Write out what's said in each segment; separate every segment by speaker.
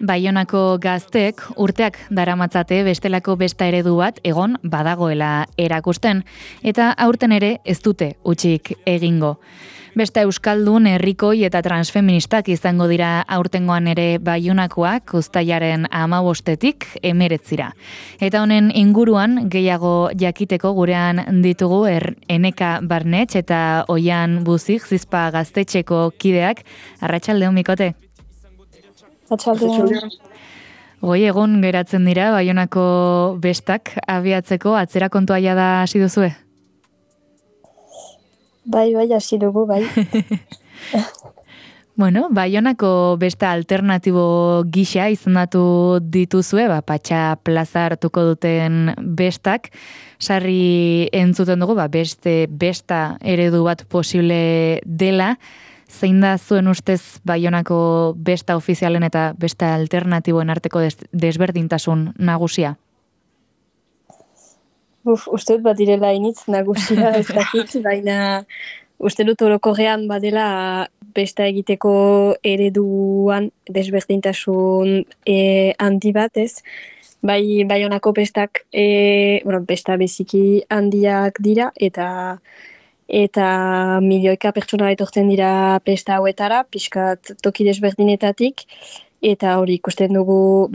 Speaker 1: Baionako gaztek urteak daramatzate bestelako besta eredu bat egon badagoela erakusten, eta aurten ere ez dute hutsik egingo. Besta euskaldun, herrikoi eta transfeministak izango dira aurtengoan ere Baionakoak uztailaren 15-tik 19. Eta honen inguruan gehiago jakiteko gurean ditugu Eneka Barnetx eta Oian Buzik Zizpa gaztetxeko kideak. Arratsaldeon, Mikote.
Speaker 2: Atxaldean.
Speaker 1: Goi egun geratzen dira Baionako bestak abiatzeko atzera kontua jada hasi duzue?
Speaker 2: Bai, hasi dugu, bai.
Speaker 1: Bueno, Baionako besta alternatibo gisa izendatu dituzue, Patxa plaza hartuko duten bestak. Sarri entzuten dugu, beste besta eredu bat posible dela. Zein da zuen ustez Baionako besta ofizialen eta besta alternatiboen arteko desberdintasun nagusia?
Speaker 2: Uste dut bat direla initz nagusia ez dakit, baina uste dut orokorrean badela besta egiteko ereduan desberdintasun handi bat, ez? Baionako bestak, besta beziki handiak dira, eta milioika pertsona etortzen dira besta hauetara, pixkat toki desberdinetatik, eta hori ikusten dugu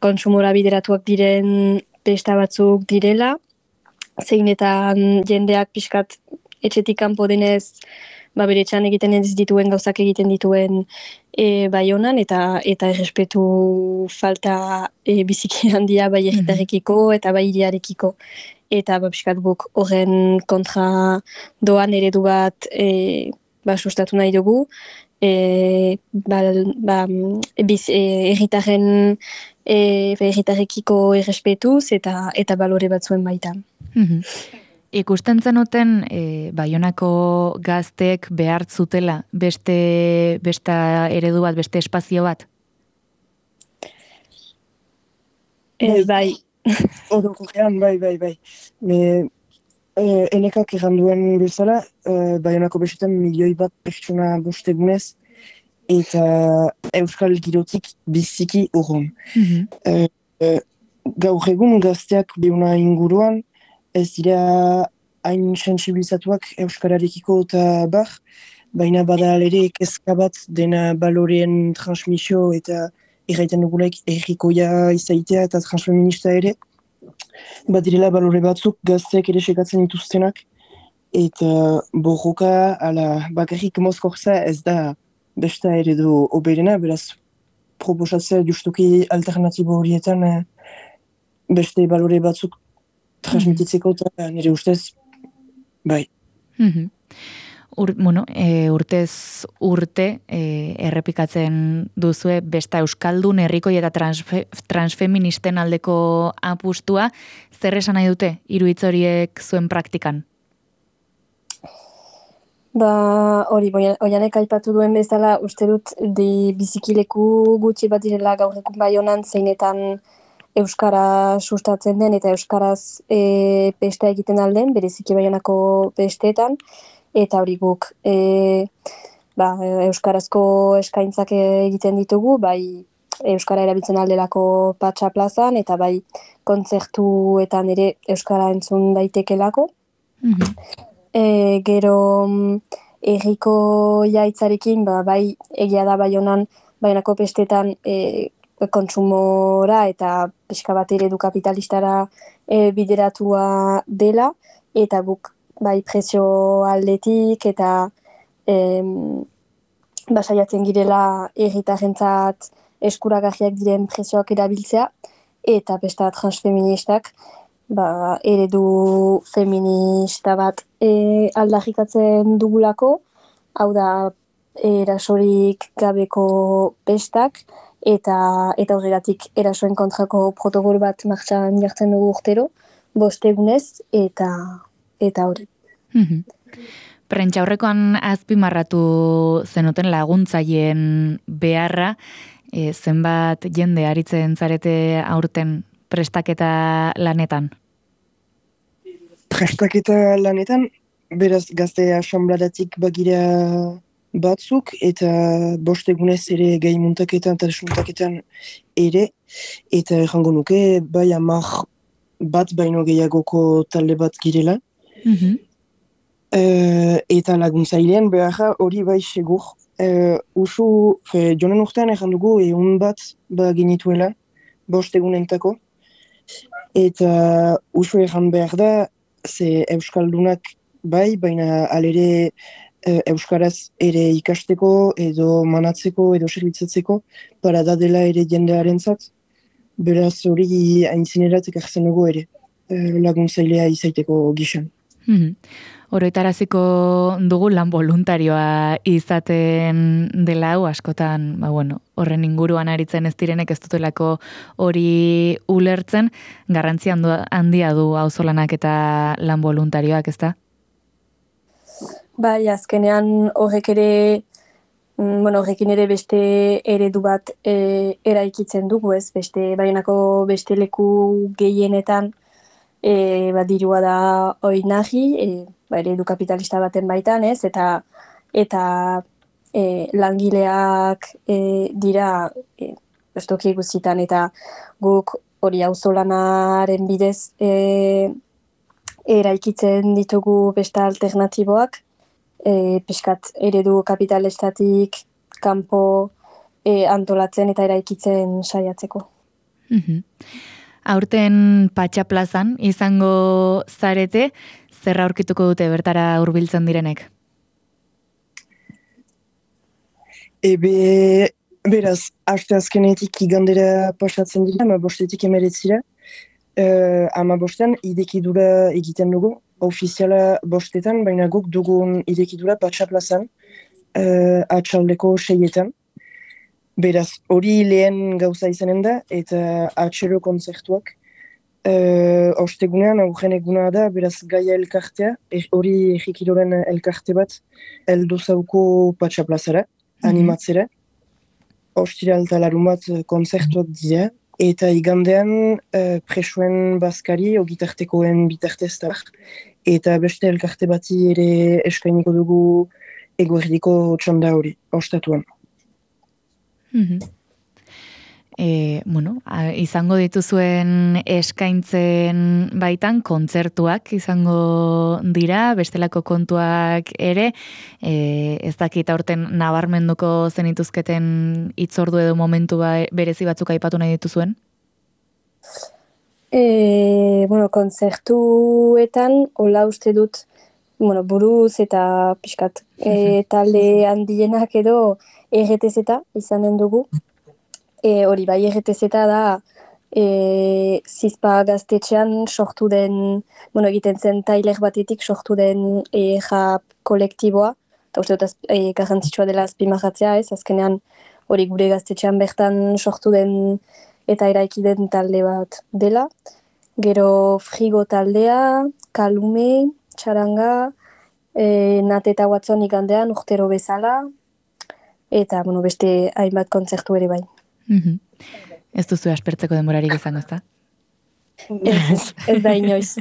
Speaker 2: kontsumora bideratuak diren besta batzuk direla, zeinetan jendeak pixkat etxetik kanpo denez, bere etxean egiten ez dituen gauzak egiten dituen Baionan, eta errespetu falta biziki handia bai herritarrekiko eta bai hiriarekiko. Eta pixkat guk horren kontra doan eredu bat sustatu nahi dugu, herritarrekiko errespetuz eta balore batzuen baitan.
Speaker 1: Ikusten zenuten Baionako gazteek behar zutela besta eredu bat, beste espazio bat?
Speaker 2: Bai.
Speaker 3: Orokorrean, bai. Enekak erranduen bezala, Baionako bestetan milioi bat pertsona bostegunez, eta euskal girotik biziki urrun. Gaur egun gazteak Baiouna inguruan, ez dira hain sensibilizatuak euskararekiko eta bar, baina bada ere kezka bat dena baloreen transmisio eta erraiten dugulaik errikoia izaitea eta transfeminista ere. Badirela balore batzuk gazteak ere sekatzen dituztenak, eta borroka bakarrik mozkortza ez da besta eredu oberena, beraz proposatzea justuki alternatibo horietan beste balore batzuk transmititzeko eta nire ustez, bai.
Speaker 1: Urtez urte errepikatzen duzue besta euskaldun, herrikoi eta transfeministen aldeko apustua. Zer esan nahi dute hiru hitz horiek zuen praktikan?
Speaker 2: Hori, Oianek aipatu duen bezala, uste dut bizikileku gutxi bat direla gaur egun Baionan, zeinetan euskara sustatzen den eta euskaraz besta egiten alden, bereziki Baionako besteetan, eta hori guk euskarazko eskaintzak egiten ditugu, bai euskara erabiltzen aldelako Patxa plazan, eta bai kontzertuetan ere euskara entzun daitekelako. Gero herriko jaitzarekin, bai egia da Baionako bestetan kontsumora eta pixka bat eredu kapitalistara bideratua dela, eta guk bai prezio aldetik eta saiatzen girela herritarrentzat eskuragarriak diren prezioak erabiltzea, eta besta transfeministak eredu feminista bat aldarrikatzen dugulako, hau da erasorik gabeko bestak, eta horregatik erasoen kontrako protokolo bat martxan jartzen dugu urtero, 5 egunez, eta hori.
Speaker 1: Prentsaurrekoan azpimarratu zenuten laguntzaien beharra, zenbat jende aritzen zarete aurten prestaketa lanetan?
Speaker 3: Prestaketa lanetan, beraz gazte asanbladatik bagira batzuk, eta bost egunez ere gai muntaketan eta desmuntaketan ere, eta errango nuke, bai 10 bat baino gehiagoko talde bat girela. Eta laguntzailean behar hori bai segur. Jonen urtean erran dugu egun bat genituela, bost egunentako. Eta usu erran behar da, ze Euskaldunak bai, baina alere Euskaraz ere ikasteko edo manatzeko edo serbitzatzeko para da dela ere jendearentzat. Beraz hori aintzinerat ekartzen dugu ere, laguntzailea izaiteko gixan.
Speaker 1: Oroitaraziko dugu lan voluntarioa izaten dela hau askotan, horren inguruan aritzen ez direnek ez dutelako hori ulertzen, garrantzi handia du auzolanak eta lan voluntarioak, ezta?
Speaker 2: Bai, azkenean horrekin ere beste eredu bat eraikitzen dugu, ez? Baionako beste leku gehienetan dirua da oinahi, eredu kapitalista baten baitan, ez? Eta langileak dira estoki guztietan, eta guk hori auzolanaren bidez eraikitzen ditugu beste alternatiboak, pixkat eredu kapitalistatik kanpo antolatzen eta eraikitzen saiatzeko.
Speaker 1: Aurten Patxa plazan izango zarete, zer aurkituko dute bertara hurbiltzen direnek?
Speaker 3: Beraz, aste azkenetik igandera pasatzen dira, 15-etik 19. 15 idekidura egiten dugu, ofiziala 5etan, baina guk dugun idekidura Patxa plazan, atxaldeko 6etan. Beraz, hori lehen gauza izanen da, eta atxero kontzertuak. Ostegunean, aurren eguna da, beraz Gaia elkartea, hori egikiloren elkarte bat, heldu zauko Patxa plazara, animatzera. Ostiral eta larun bat kontzertuak dira, eta igandean presoen bazkari, ogitartekoen bitartez da, eta beste elkarte bati ere eskainiko dugu eguerdiko txanda hori, ostatuan.
Speaker 1: Izango dituzuen eskaintzen baitan kontzertuak izango dira, bestelako kontuak ere, ez dakit aurten nabarmenduko zenituzketen hitzordu edo momentu berezi batzuk aipatu nahi dituzuen?
Speaker 2: Kontzertuetan, hola uste dut, buruz eta pixkat talde handienak edo RTZ izanen dugu. Hori bai, RTZ da Zizpa gaztetxean sortu den, egiten zen tailer batetik sortu den rap kolektiboa, eta uste dut garrantzitsua dela azpimarratzea, ez? Azkenean hori gure gaztetxean bertan sortu den eta eraiki den talde bat dela. Gero Frigo taldea, Kalume, Txaranga, Nat eta Watson igandean urtero bezala, eta beste hainbat kontzertu ere bai.
Speaker 1: Ez duzu aspertzeko denborarik izango, ezta?
Speaker 2: Ez da inoiz.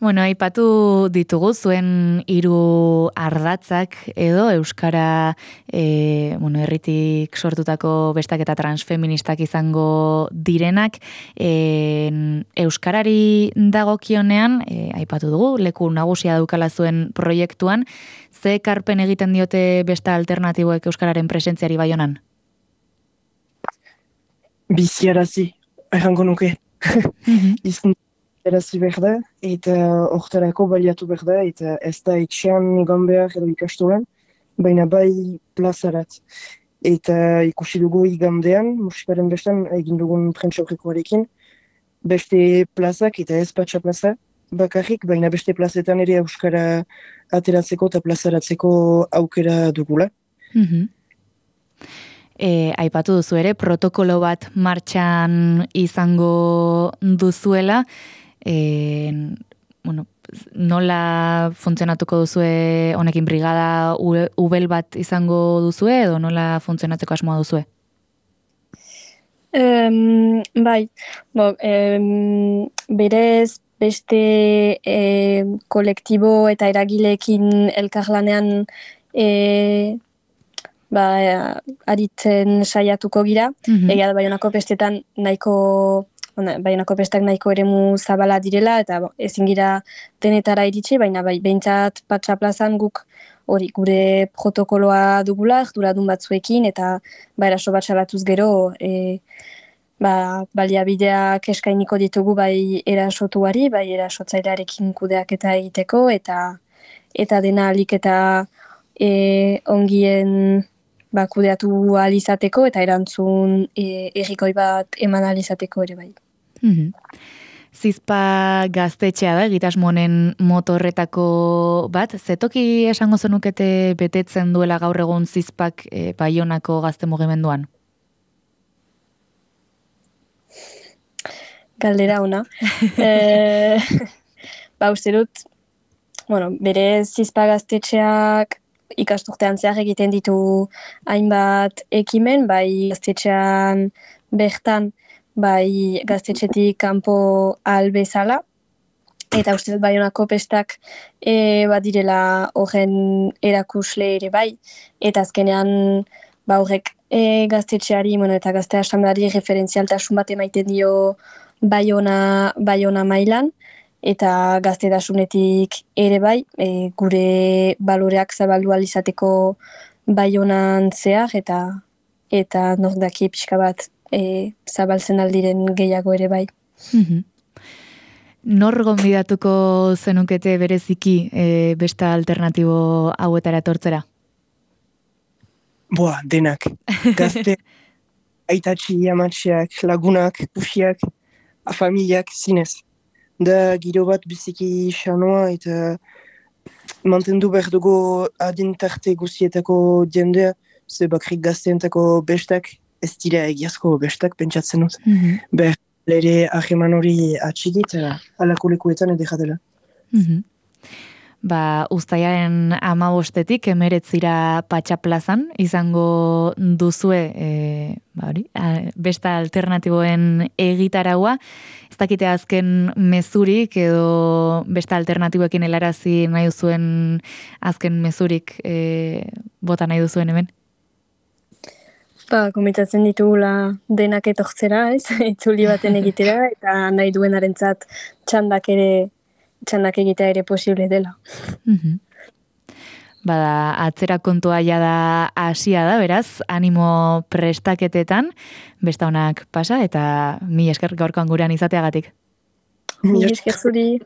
Speaker 1: Aipatu ditugu zuen 3 ardatzak edo euskara herritik sortutako bestak eta transfeministak izango direnak, euskarari dagokionean aipatu dugu leku nagusia daukala zuen proiektuan, ze ekarpen egiten diote beste alternatiboek euskararen presentziari Baionan?
Speaker 3: Biziarazi, errango nuke. Biziarazi behar da, eta hortarako baliatu behar da, eta ez da etxean egon behar edo ikastolan, baina bai plazarat. Eta ikusi dugu igandean, musikaren bestan, egin dugun prentsaurrekoarekin, beste plazak eta ez Patxa plaza bakarrik, baina beste plazetan ere euskara ateratzeko eta plazaratzeko aukera dugula.
Speaker 1: Aipatu duzu ere, protokolo bat martxan izango duzuela, nola funtzionatuko duzue honekin brigada ubel bat izango duzue edo nola funtzionatzeko asmoa duzue?
Speaker 2: Berez beste kolektibo eta eragileekin elkarlanean aritzen saiatuko gira. Egia da Baionako festetan Baionako festak nahiko eremu zabala direla, eta ezin gira denetara iritsi, baina behintzat Patxa plazan guk hori gure protokoloa dugula, erduradun batzuekin, eta eraso bat salatuz gero, baliabideak eskainiko ditugu bai erasotuari, bai erasotzailearekin kudeaketa egiteko, eta dena alik eta ongien kudeatu alizateko eta erantzun errikoi bat eman alizateko ere bai.
Speaker 1: Zizpa gaztetxea da, egitasmonen motorretako bat. Zetoki esango zenukete betetzen duela gaur egun Zizpak Baionako gazte mugimenduan?
Speaker 2: Galdera ona. Uste dut, bere Zizpa gaztetxeak ikasturtean zehar egiten ditu hainbat ekimen, bai gaztetxean bertan, bai gaztetxetik kanpo bezala, eta uste dut Baionako festak badirela horren erakusle ere bai, eta azkenean horrek gaztetxeari eta gazte asamblari referentzialtasun bat emaiten dio Baiona mailan, eta gaztetasunetik ere bai, gure baloreak zabaldu alizateko Baionan zehar, eta nordaki pixka bat zabaltzen aldiren gehiago ere bai.
Speaker 1: Nor gonbidatuko zenukete bereziki beste alternatibo hauetara etortzera?
Speaker 3: Denak. Gazte, aitatxi, amatxeak, lagunak, kusiak, familiak, zinez. Da giro bat biziki xanoa eta mantendu behar dugu adintarte guzietako jendea, ze bakrik gazteentako bestak, ez dira egiazko bestak pentsatzen dut. Behar ere aheman hori atxigit, alako lekuetan edekatela.
Speaker 1: Uztailaren 15-etik 19 Patxa plazan izango duzue besta alternatiboen egitaraua. Ez dakite azken mezurik edo besta alternatiboekin helarazi nahi duzuen azken mezurik bota nahi duzuen hemen?
Speaker 2: Komitatzen ditugula denak etortzera, ez? Itzuli baten egitera, eta nahi duenarentzat txandak egitea ere posible dela.
Speaker 1: Atzera kontua jada hasia da, beraz, animo prestaketetan, besta honak pasa, eta mila esker gaurkoan gurean izateagatik.
Speaker 2: Mila esker zuri.